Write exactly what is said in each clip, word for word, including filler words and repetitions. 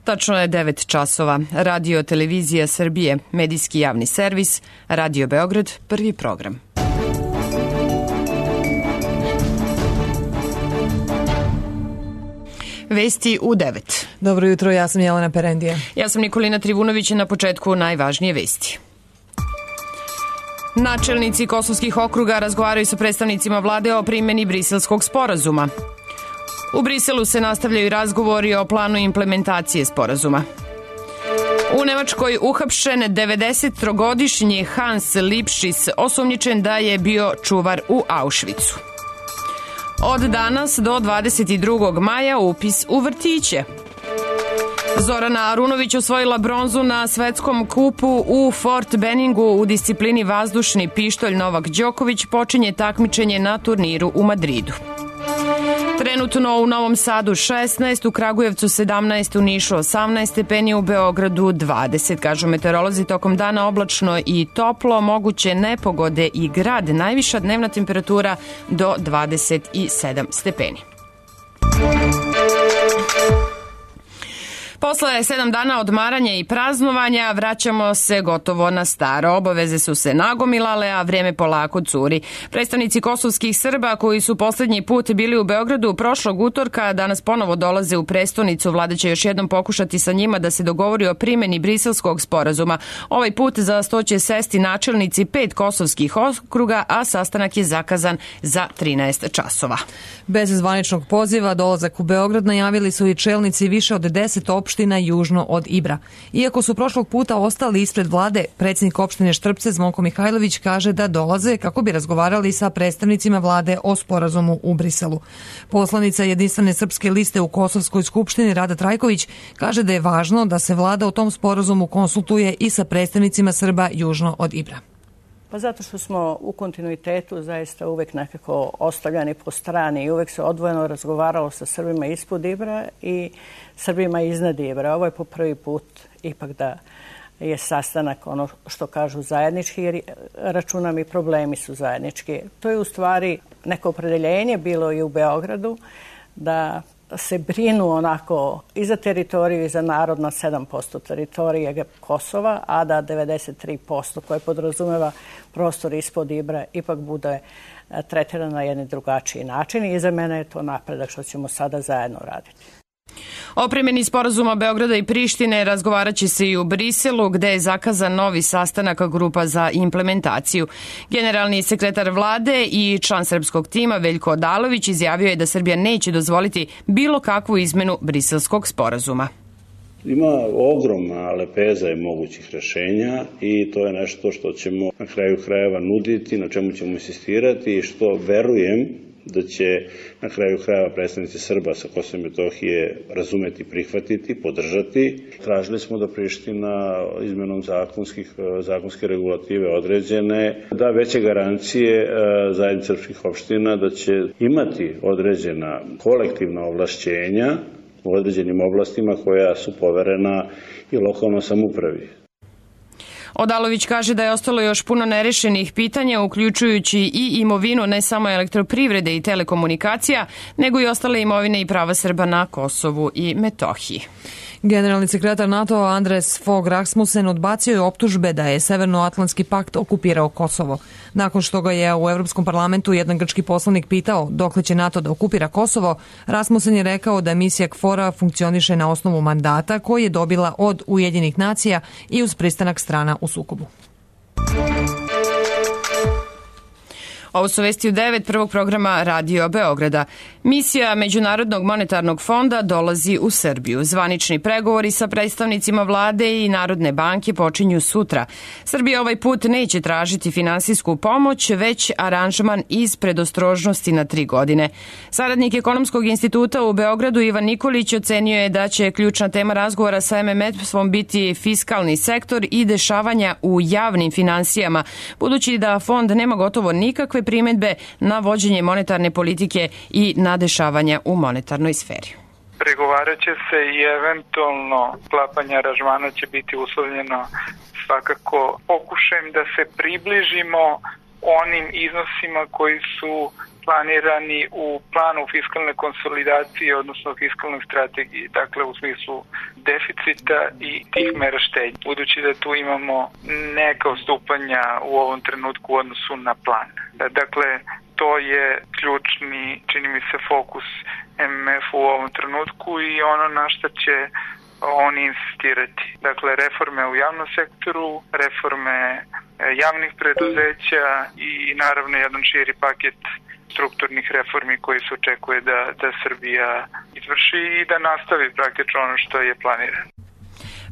Tačno je devet časova. Radio Televizija Srbije, medijski javni servis, Radio Beograd, prvi program. Vesti u devet. Dobro jutro, ja sam Jelena Perendija. Ja sam Nikolina Trivunović, na početku najvažnije vesti. Načelnici kosovskih okruga razgovaraju sa predstavnicima vlade o primjeni Briselskog sporazuma. U Briselu se nastavljaju razgovori o planu implementacije sporazuma. U Nemačkoj uhapšen devedesettrogodišnji Hans Lipschitz, osumnjičen da je bio čuvar u Auschwitzu. Od danas do dvadeset drugog maja upis u vrtiće. Zorana Arunović osvojila bronzu na svetskom kupu u Fort Benningu u disciplini vazdušni pištolj. Novak Đoković počinje takmičenje na turniru u Madridu. Trenutno u Novom Sadu šesnaest, u Kragujevcu sedamnaest, u Nišu osamnaest stepeni, u Beogradu dvadeset. Kažu meteorolozi, tokom dana oblačno i toplo, moguće nepogode i grad. Najviša dnevna temperatura do dvadeset sedam stepeni. Posle sedam dana odmaranja i praznovanja vraćamo se gotovo na staro. Obaveze su se nagomilale, a vreme polako curi. Predstavnici kosovskih Srba koji su poslednji put bili u Beogradu prošlog utorka danas ponovo dolaze u prestonicu. Vlada će još jednom pokušati sa njima da se dogovori o primjeni Briselskog sporazuma. Ovaj put za sto će sesti načelnici pet kosovskih okruga, a sastanak je zakazan za trinaest časova. Bez zvaničnog poziva dolazak u Beograd najavili su i čelnici više od deset opština južno od Ibra. Iako su prošlog puta ostali ispred vlade, predsjednik opštine Štrpce Zvonko Mihajlović kaže da dolaze kako bi razgovarali sa predstavnicima vlade o sporazumu u Briselu. Poslanica Jedinstvene srpske liste u Kosovskoj skupštini Rada Trajković kaže da je važno da se vlada o tom sporazumu konsultuje i sa predstavnicima Srba južno od Ibra. Pa zato što smo u kontinuitetu zaista uvek nekako ostavljani po strani i uvek se odvojeno razgovaralo sa Srbima ispod Ibra i Srbima iznad Ibra. Ovo je po prvi put ipak da je sastanak ono što kažu zajednički, jer računam i problemi su zajednički. To je u stvari neko opredeljenje bilo i u Beogradu da se brinu onako i za teritoriju i za narod na sedam posto teritorije Kosova, a da devedeset tri posto koje podrazumeva prostor ispod Ibra ipak bude tretirano na jedan drugačiji način i za mene je to napredak što ćemo sada zajedno raditi. O primjeni sporazuma Beograda i Prištine razgovarat će se i u Briselu, gde je zakazan novi sastanak grupa za implementaciju. Generalni sekretar vlade i član srpskog tima Veljko Odalović izjavio je da Srbija neće dozvoliti bilo kakvu izmenu briselskog sporazuma. Ima ogromna lepeza i mogućih rešenja i to je nešto što ćemo na kraju krajeva nuditi, na čemu ćemo insistirati i što verujem da će na kraju krajeva predstavnici Srba sa Kosova i Metohije razumeti, prihvatiti, podržati. Tražili smo da Priština izmenom zakonskih, zakonske regulative određene da veće garancije zajednice srpskih opština da će imati određena kolektivna ovlašćenja u određenim oblastima koja su poverena i lokalnoj samoupravi. Odalović kaže da je ostalo još puno nerešenih pitanja, uključujući i imovinu ne samo elektroprivrede i telekomunikacija, nego i ostale imovine i prava Srba na Kosovu i Metohiji. Generalni sekretar NATO Andres Fogh Rasmussen odbacio je optužbe da je Severnoatlantski pakt okupirao Kosovo. Nakon što ga je u Evropskom parlamentu jedan grčki poslanik pitao dokle će NATO da okupira Kosovo, Rasmussen je rekao da misija KFOR-a funkcioniše na osnovu mandata koji je dobila od Ujedinjenih nacija i uz pristanak strana u sukobu. Ovo su vesti u devet prvog programa Radio Beograda. Misija Međunarodnog monetarnog fonda dolazi u Srbiju. Zvanični pregovori sa predstavnicima vlade i Narodne banke počinju sutra. Srbija ovaj put neće tražiti finansijsku pomoć, već aranžman iz predostrožnosti na tri godine. Saradnik Ekonomskog instituta u Beogradu Ivan Nikolić ocenio je da će ključna tema razgovora sa em em ef-om biti fiskalni sektor i dešavanja u javnim finansijama, budući da fond nema gotovo nikakve primedbe na vođenje monetarne politike i na dešavanja u monetarnoj sferi. Pregovarat će se i eventualno sklapanje aranžmana će biti uslovljeno svakako pokušajem da se približimo onim iznosima koji su planirani u planu fiskalne konsolidacije, odnosno fiskalnoj strategiji, dakle u smislu deficita i tih mera štednje. Budući da tu imamo neka odstupanja u ovom trenutku u odnosu na plan. Dakle, to je ključni, čini mi se, fokus M M F u ovom trenutku i ono na što će oni insistirati. Dakle, reforme u javnom sektoru, reforme javnih preduzeća i naravno jedan širi paket strukturnih reformi koji se očekuje da, da Srbija izvrši i da nastavi praktično ono što je planirano.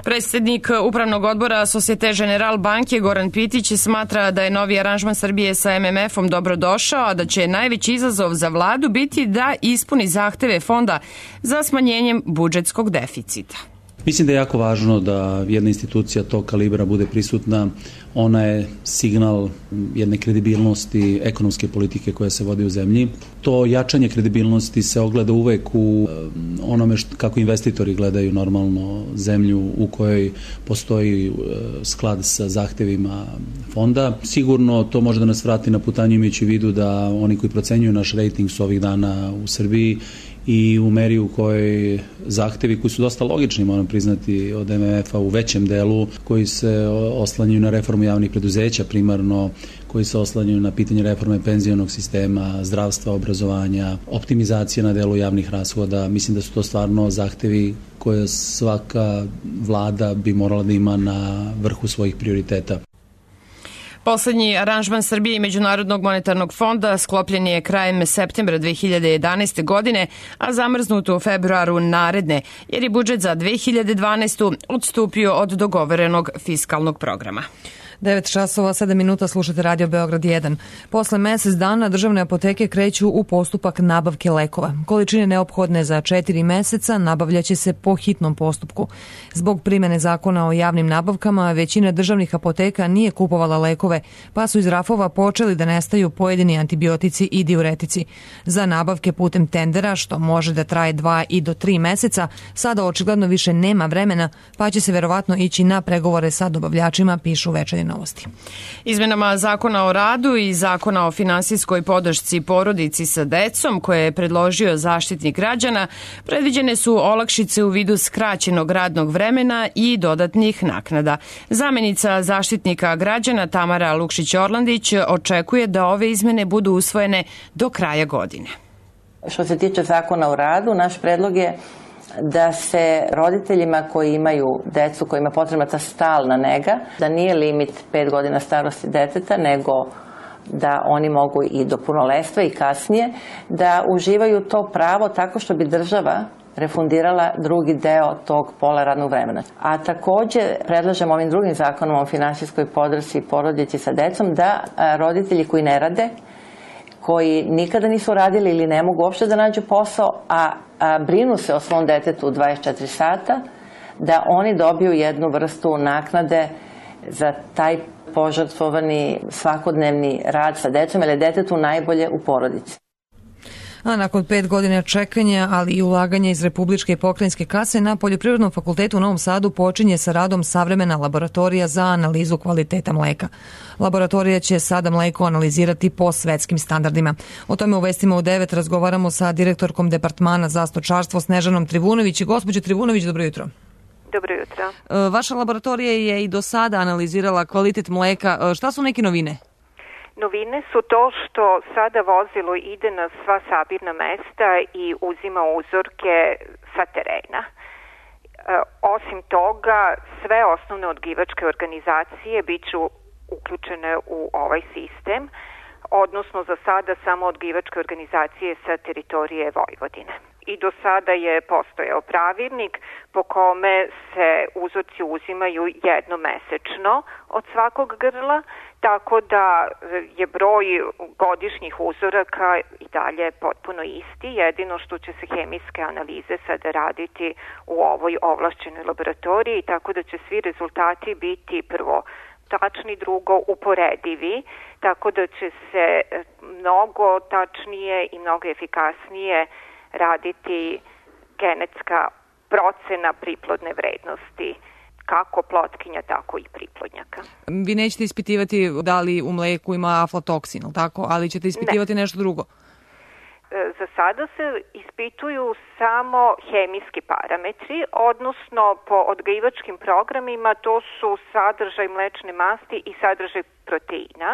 Predsjednik Upravnog odbora Societe Generale banke Goran Pitić smatra da je novi aranžman Srbije sa M M F-om dobro došao, a da će najveći izazov za vladu biti da ispuni zahteve fonda za smanjenjem budžetskog deficita. Mislim da je jako važno da jedna institucija tog kalibra bude prisutna. Ona je signal jedne kredibilnosti ekonomske politike koja se vodi u zemlji. To jačanje kredibilnosti se ogleda uvek u onome što, kako investitori gledaju normalno zemlju u kojoj postoji sklad sa zahtevima fonda. Sigurno to može da nas vrati na putanju imajući u vidu da oni koji procenjuju naš rejting su ovih dana u Srbiji i u meri u kojoj zahtevi koji su dosta logični, moram priznati, od M M F-a u većem delu, koji se oslanjaju na reformu javnih preduzeća primarno, koji se oslanjaju na pitanje reforme penzionog sistema, zdravstva, obrazovanja, optimizacije na delu javnih rashoda. Mislim da su to stvarno zahtevi koje svaka vlada bi morala da ima na vrhu svojih prioriteta. Poslednji aranžman Srbije i Međunarodnog monetarnog fonda sklopljen je krajem septembra dve hiljade jedanaeste. godine, a zamrznut u februaru naredne, jer je budžet za dve hiljade dvanaestu. odstupio od dogovorenog fiskalnog programa. devet časova sedam minuta, slušate Radio Beograd jedan. Posle mesec dana državne apoteke kreću u postupak nabavke lekova. Količine neophodne za četiri meseca nabavljaće se po hitnom postupku. Zbog primene zakona o javnim nabavkama, većina državnih apoteka nije kupovala lekove, pa su iz rafova počeli da nestaju pojedini antibiotici i diuretici. Za nabavke putem tendera, što može da traje dva i do tri meseca, sada očigledno više nema vremena, pa će se verovatno ići na pregovore sa dobavljačima, pišu Večernje novosti. Izmenama Zakona o radu i Zakona o finansijskoj podršci porodici sa decom, koje je predložio Zaštitnik građana, predviđene su olakšice u vidu skraćenog radnog vremena i dodatnih naknada. Zamenica Zaštitnika građana Tamara Lukšić-Orlandić očekuje da ove izmene budu usvojene do kraja godine. Što se tiče Zakona o radu, naš predlog je da se roditeljima koji imaju decu, kojima je potrebna ta stalna nega, da nije limit pet godina starosti deteta, nego da oni mogu i do punoletstva i kasnije, da uživaju to pravo tako što bi država refundirala drugi deo tog pola radnog vremena. A takođe predlažemo ovim drugim zakonom o finansijskoj podršci porodici sa decom da roditelji koji ne rade, koji nikada nisu radili ili ne mogu uopšte da nađu posao, a, a brinu se o svom detetu dvadeset četiri sata, da oni dobiju jednu vrstu naknade za taj požrtvovani svakodnevni rad sa decom, jer je detetu najbolje u porodici. A nakon pet godina čekanja, ali i ulaganja iz Republičke i pokrajinske kase, na Poljoprivrednom fakultetu u Novom Sadu počinje sa radom savremena laboratorija za analizu kvaliteta mleka. Laboratorija će sada mleko analizirati po svetskim standardima. O tome u vestima u devet razgovaramo sa direktorkom Departmana za stočarstvo Snežanom Trivunović. Gospođo Trivunović, dobro jutro. Dobro jutro. Vaša laboratorija je i do sada analizirala kvalitet mleka. Šta su neke novine? Novine su to što sada vozilo ide na sva sabirna mesta i uzima uzorke sa terena. E, osim toga, sve osnovne odgajivačke organizacije biću uključene u ovaj sistem, odnosno za sada samo odgajivačke organizacije sa teritorije Vojvodine. I do sada je postojao pravilnik po kome se uzorci uzimaju jednomesečno od svakog grla, tako da je broj godišnjih uzoraka i dalje potpuno isti, jedino što će se hemijske analize sada raditi u ovoj ovlašćenoj laboratoriji, tako da će svi rezultati biti prvo tačni, drugo uporedivi, tako da će se mnogo tačnije i mnogo efikasnije raditi genetska procena priplodne vrednosti kako plotkinja, tako i priplodnjaka. Vi nećete ispitivati da li u mleku ima aflatoksin, tako? Ali ćete ispitivati ne. nešto drugo? Za sada se ispituju samo hemijski parametri, odnosno po odgajivačkim programima to su sadržaj mlečne masti i sadržaj proteina,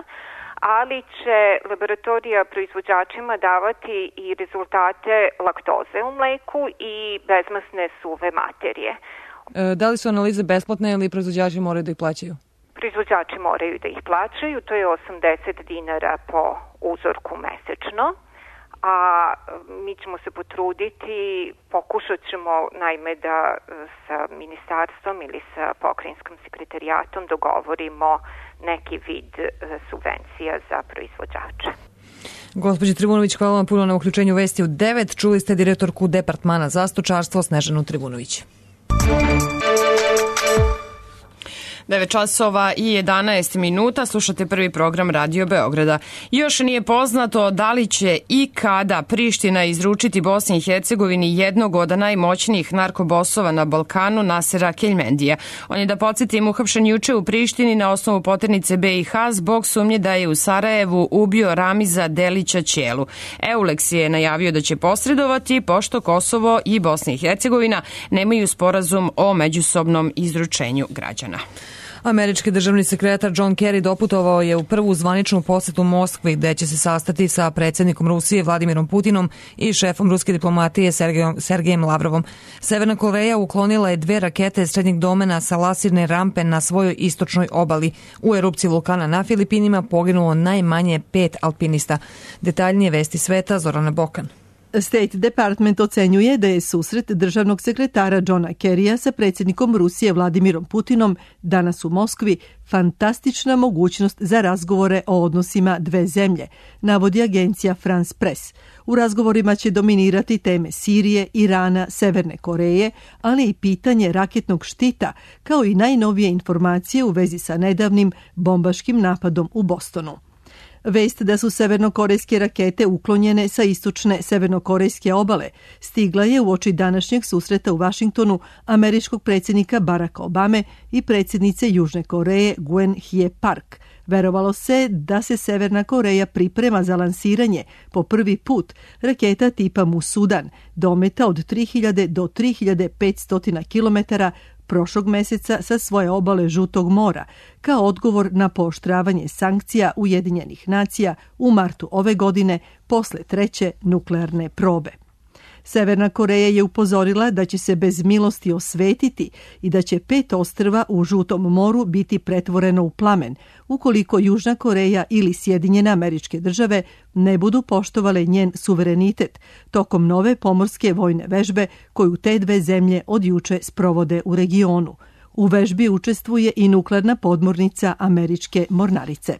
ali će laboratorija proizvođačima davati i rezultate laktoze u mleku i bezmasne suve materije. E, da li su analize besplatne ili proizvođači moraju da ih plaćaju? Proizvođači moraju da ih plaćaju, to je osamdeset dinara po uzorku mesečno. A mi ćemo se potruditi, pokušat ćemo naime da sa ministarstvom ili sa pokrajinskim sekretarijatom dogovorimo neki vid subvencija za proizvođače. Gospođi Trivunović, hvala vam puno na uključenju Vesti u devet. Čuli ste direktorku Departmana za stočarstvo Snežanu Trivunović. devet časova i jedanaest minuta, slušate prvi program Radio Beograda. Još nije poznato da li će i kada Priština izručiti Bosni i Hercegovini jednog od najmoćnijih narkobosova na Balkanu, Nasera Keljmendija. On je, da podsjetim, uhapšen juče u Prištini na osnovu poternice be i ha zbog sumnje da je u Sarajevu ubio Ramiza Delića Ćelu. Euleks je najavio da će posredovati, pošto Kosovo i Bosna i Hercegovina nemaju sporazum o međusobnom izručenju građana. Američki državni sekretar John Kerry doputovao je u prvu zvaničnu posetu Moskvi, gde će se sastati sa predsjednikom Rusije Vladimirom Putinom i šefom ruske diplomatije Sergejom, Sergejem Lavrovom. Severna Koreja uklonila je dve rakete srednjeg domena sa lasirne rampe na svojoj istočnoj obali. U erupciji vulkana na Filipinima poginulo najmanje pet alpinista. Detaljnije vesti sveta, Zorana Bokan. State Department ocenjuje da je susret državnog sekretara Johna Kerrya sa predsjednikom Rusije Vladimirom Putinom danas u Moskvi fantastična mogućnost za razgovore o odnosima dve zemlje, navodi agencija France Press. U razgovorima će dominirati teme Sirije, Irana, Severne Koreje, ali i pitanje raketnog štita, kao i najnovije informacije u vezi sa nedavnim bombaškim napadom u Bostonu. Vest da su severnokorejske rakete uklonjene sa istočne severnokorejske obale stigla je uoči današnjeg susreta u Vašingtonu američkog predsjednika Baracka Obame i predsjednice Južne Koreje Gwen Hye Park. Verovalo se da se Severna Koreja priprema za lansiranje po prvi put raketa tipa Musudan, dometa od tri hiljade do tri hiljade petsto kilometara prošlog meseca sa svoje obale Žutog mora, kao odgovor na pooštravanje sankcija Ujedinjenih nacija u martu ove godine posle treće nuklearne probe. Severna Koreja je upozorila da će se bez milosti osvetiti i da će pet ostrva u Žutom moru biti pretvoreno u plamen, ukoliko Južna Koreja ili Sjedinjene Američke Države ne budu poštovale njen suverenitet tokom nove pomorske vojne vežbe koju te dve zemlje od juče sprovode u regionu. U vežbi učestvuje i nuklearna podmornica američke mornarice.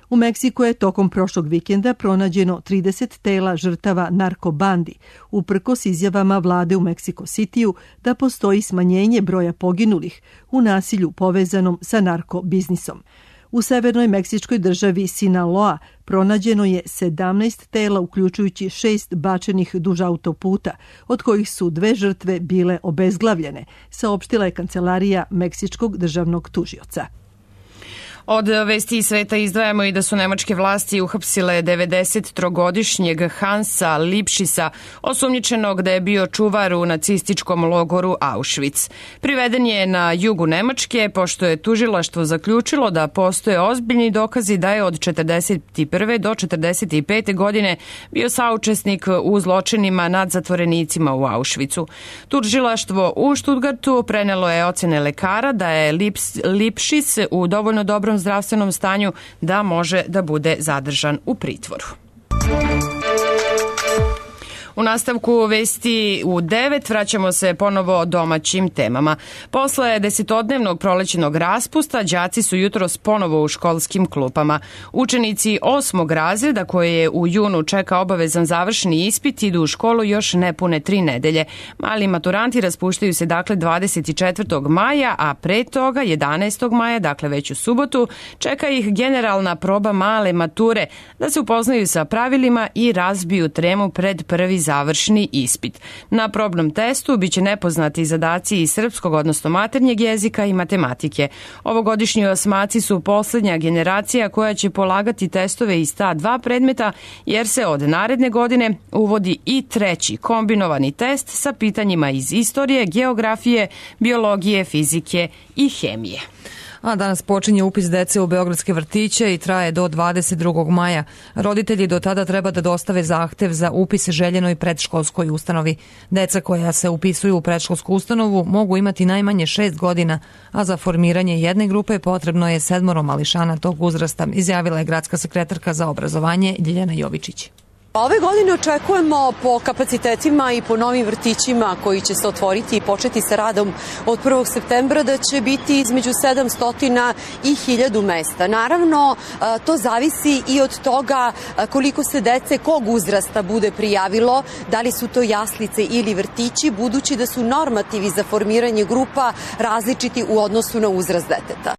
U Meksiku je tokom prošlog vikenda pronađeno trideset tela žrtava narkobandi, uprkos izjavama vlade u Meksiko Citiju da postoji smanjenje broja poginulih u nasilju povezanom sa narkobiznisom. U severnoj meksičkoj državi Sinaloa pronađeno je sedamnaest tela, uključujući šest bačenih duž autoputa, od kojih su dve žrtve bile obezglavljene, saopštila je kancelarija Meksičkog državnog tužioca. Od vesti sveta izdvajamo i da su nemačke vlasti uhapsile devedesettrogodišnjeg Hansa Lipšisa, osumnjičenog da je bio čuvar u nacističkom logoru Auschwitz. Priveden je na jugu Nemačke, pošto je tužilaštvo zaključilo da postoje ozbiljni dokazi da je od četrdeset prve do četrdeset pete godine bio saučesnik u zločinima nad zatvorenicima u Auschwitzu. Tužilaštvo u Stuttgartu prenelo je ocene lekara da je Lips, Lipšis u dovoljno dobrom zdravstvenom stanju da može da bude zadržan u pritvoru. U nastavku vesti u devet vraćamo se ponovo domaćim temama. Posle desetodnevnog prolećnog raspusta, đaci su jutros ponovo u školskim klupama. Učenici osmog razreda, koje je u junu čeka obavezan završni ispit, idu u školu još nepune tri nedelje. Mali maturanti raspuštaju se dakle dvadeset četvrtog maja, a pre toga jedanaestog maja, dakle već u subotu, čeka ih generalna proba male mature, da se upoznaju sa pravilima i razbiju tremu pred prvi završni završni ispit. Na probnom testu biće nepoznati zadaci iz srpskog, odnosno maternjeg jezika i matematike. Ovogodišnji osmaci su posljednja generacija koja će polagati testove iz ta dva predmeta, jer se od naredne godine uvodi i treći kombinovani test sa pitanjima iz istorije, geografije, biologije, fizike i hemije. A danas počinje upis dece u beogradske vrtiće i traje do dvadeset drugog maja. Roditelji do tada treba da dostave zahtev za upis željenoj predškolskoj ustanovi. Deca koja se upisuju u predškolsku ustanovu mogu imati najmanje šest godina, a za formiranje jedne grupe potrebno je sedmoro mališana tog uzrasta, izjavila je gradska sekretarka za obrazovanje Ljiljana Jovičić. Ove godine očekujemo po kapacitetima i po novim vrtićima koji će se otvoriti i početi sa radom od prvog septembra da će biti između sedamsto i hiljadu mesta. Naravno, to zavisi i od toga koliko se dece kog uzrasta bude prijavilo, da li su to jaslice ili vrtići, budući da su normativi za formiranje grupa različiti u odnosu na uzrast deteta.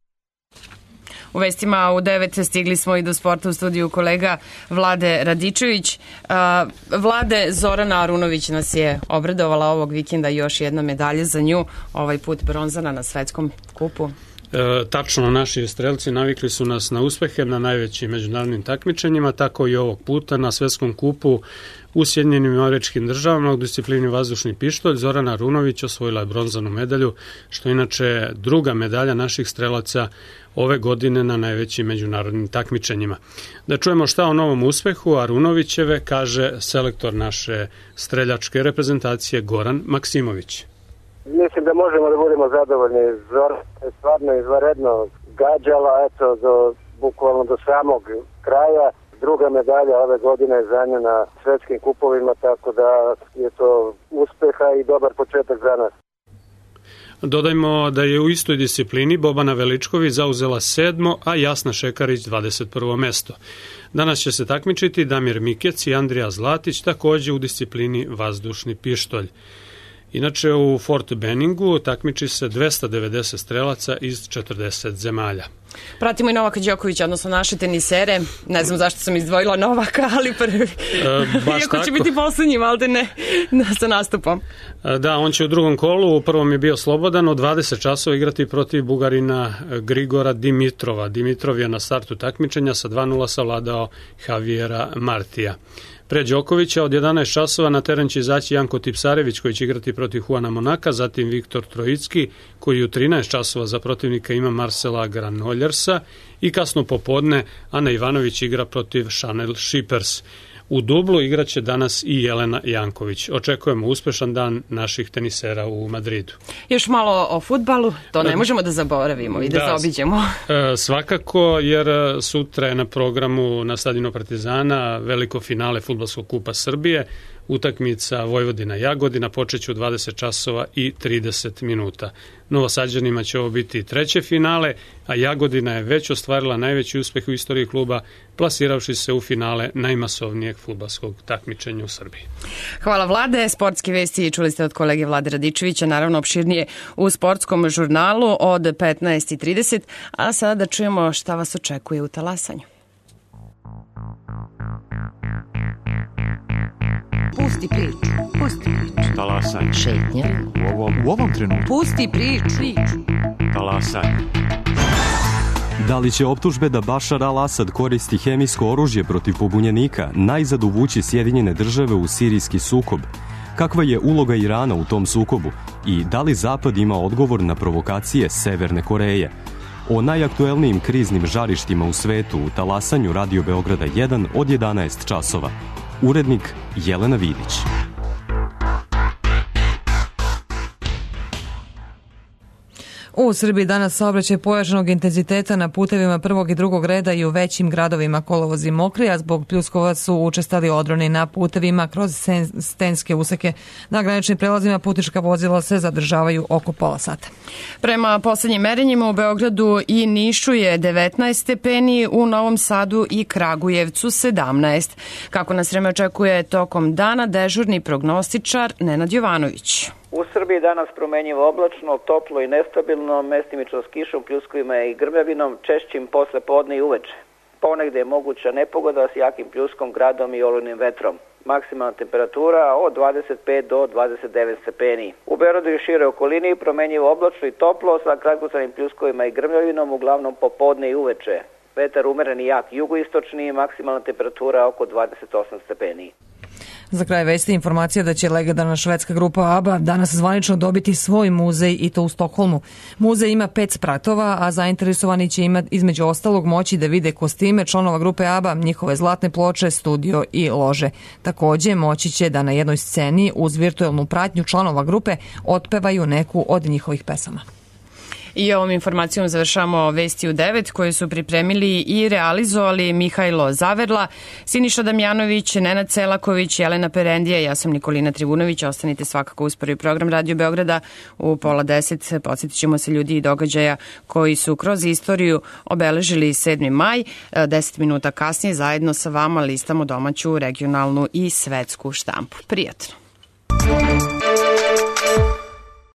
U vestima u devet stigli smo i do sporta u studiju kolega Vlade Radičević. Vlade, Zorana Arunović nas je obradovala ovog vikenda, još jedna medalja za nju, ovaj put bronzana na svetskom kupu. E, tačno, naši strelci navikli su nas na uspehe na najvećim međunarodnim takmičenjima, tako i ovog puta na svetskom kupu u Sjedinjenim Američkim Državama u disciplini vazdušni pištolj. Zorana Arunović osvojila je bronzanu medalju, što je inače druga medalja naših strelaca ove godine na najvećim međunarodnim takmičenjima. Da čujemo šta o novom uspehu Arunovićeve kaže selektor naše streljačke reprezentacije Goran Maksimović. Mislim da možemo da budemo zadovoljni. Zora je stvarno izvanredno gađala, eto, do, bukvalno do samog kraja. Druga medalja ove godine je za nju na svetskim kupovima, tako da je to uspeha i dobar početak za nas. Dodajmo da je u istoj disciplini Bobana Veličković zauzela sedmo, a Jasna Šekarić dvadeset prvo mesto. Danas će se takmičiti Damir Mikec i Andrija Zlatić, takođe u disciplini vazdušni pištolj. Inače, u Fort Benningu takmiči se dvesta devedeset strelaca iz četrdeset zemalja. Pratimo i Novaka Đokovića, odnosno naše tenisere. Ne znam zašto sam izdvojila Novaka, ali prvi. E, baš Iako tako. Će biti poslednji, valjda ne, sa nastupom. E, da, on će u drugom kolu, u prvom je bio slobodan, od dvadeset časova igrati protiv Bugarina Grigora Dimitrova. Dimitrov je na startu takmičenja sa dva nula savladao Javiera Martija. Pre Đokovića od jedanaest časova na teren će izaći Janko Tipsarević koji će igrati protiv Juana Monaka, zatim Viktor Trojicki koji u trinaest časova za protivnika ima Marcela Granoljersa i kasno popodne Ana Ivanović igra protiv Chanel Shippers. U dublu igraće danas i Jelena Janković. Očekujemo uspešan dan naših tenisera u Madridu. Još malo o fudbalu, to ne možemo da zaboravimo i da, da zaobiđemo. Svakako, jer sutra je na programu na stadionu Partizana veliko finale Fudbalskog kupa Srbije. Utakmica Vojvodina-Jagodina počeće u dvadeset časova i trideset minuta. Novosađanima će ovo biti treće finale, a Jagodina je već ostvarila najveći uspeh u istoriji kluba, plasiravši se u finale najmasovnijeg fudbalskog takmičenja u Srbiji. Hvala Vlade. Sportske vesti čuli ste od kolege Vlade Radičevića, naravno opširnije u sportskom žurnalu od petnaest i trideset, a sada da čujemo šta vas očekuje u talasanju. Pusti priču, pusti priču. Talasanje. Šetnja. U ovom, u ovom trenutku. Pusti priču. Talasanje. Da li će optužbe da Bašar al-Asad koristi hemijsko oružje protiv pobunjenika najzad uvući Sjedinjene države u sirijski sukob? Kakva je uloga Irana u tom sukobu? I da li Zapad ima odgovor na provokacije Severne Koreje? O najaktuelnijim kriznim žarištima u svetu u talasanju Radio Beograda jedan od jedanaest časova. Urednik Jelena Vidić. U Srbiji danas saobraćaj pojačanog intenziteta na putevima prvog i drugog reda i u većim gradovima kolovozi mokri, a zbog pljuskova su učestali odroni na putevima kroz stenske useke. Na graničnim prelazima putnička vozila se zadržavaju oko pola sata. Prema poslednjim merenjima u Beogradu i Nišu je devetnaest stepeni, u Novom Sadu i Kragujevcu sedamnaest. Kako nas vreme očekuje tokom dana, dežurni prognostičar Nenad Jovanović. U Srbiji danas promenjivo oblačno, toplo i nestabilno, mestimično s kišom, pljuskovima i grmljavinom, češćim posle podne i uveče. Ponegde je moguća nepogoda s jakim pljuskom, gradom i olujnim vetrom. maksimalna temperatura od dvadeset pet do dvadeset devet stepeni. U Beogradu i šire okolini promenjivo oblačno i toplo sa kratkotrajnim pljuskovima i grmljavinom, uglavnom popodne i uveče. Vetar umeren i jak jugoistočni, maksimalna temperatura oko dvadeset osam stepeni. Za kraj vesti informacija da će legendarna švedska grupa ABBA danas zvanično dobiti svoj muzej i to u Stokholmu. Muzej ima pet spratova, a zainteresovani će imati između ostalog moći da vide kostime članova grupe ABBA, njihove zlatne ploče, studio i lože. Takođe, moći će da na jednoj sceni uz virtuelnu pratnju članova grupe otpevaju neku od njihovih pesama. I ovom informacijom završamo Vesti u devet koje su pripremili i realizovali Mihajlo Zaverla, Siniša Damjanović, Nenad Selaković, Jelena Perendija, ja sam Nikolina Trivunović. Ostanite svakako uz prvi program Radio Beograda u pola deset. Podsjetit ćemo se ljudi i događaja koji su kroz istoriju obeležili sedmi maj. Deset minuta kasnije zajedno sa vama listamo domaću, regionalnu i svetsku štampu. Prijatno.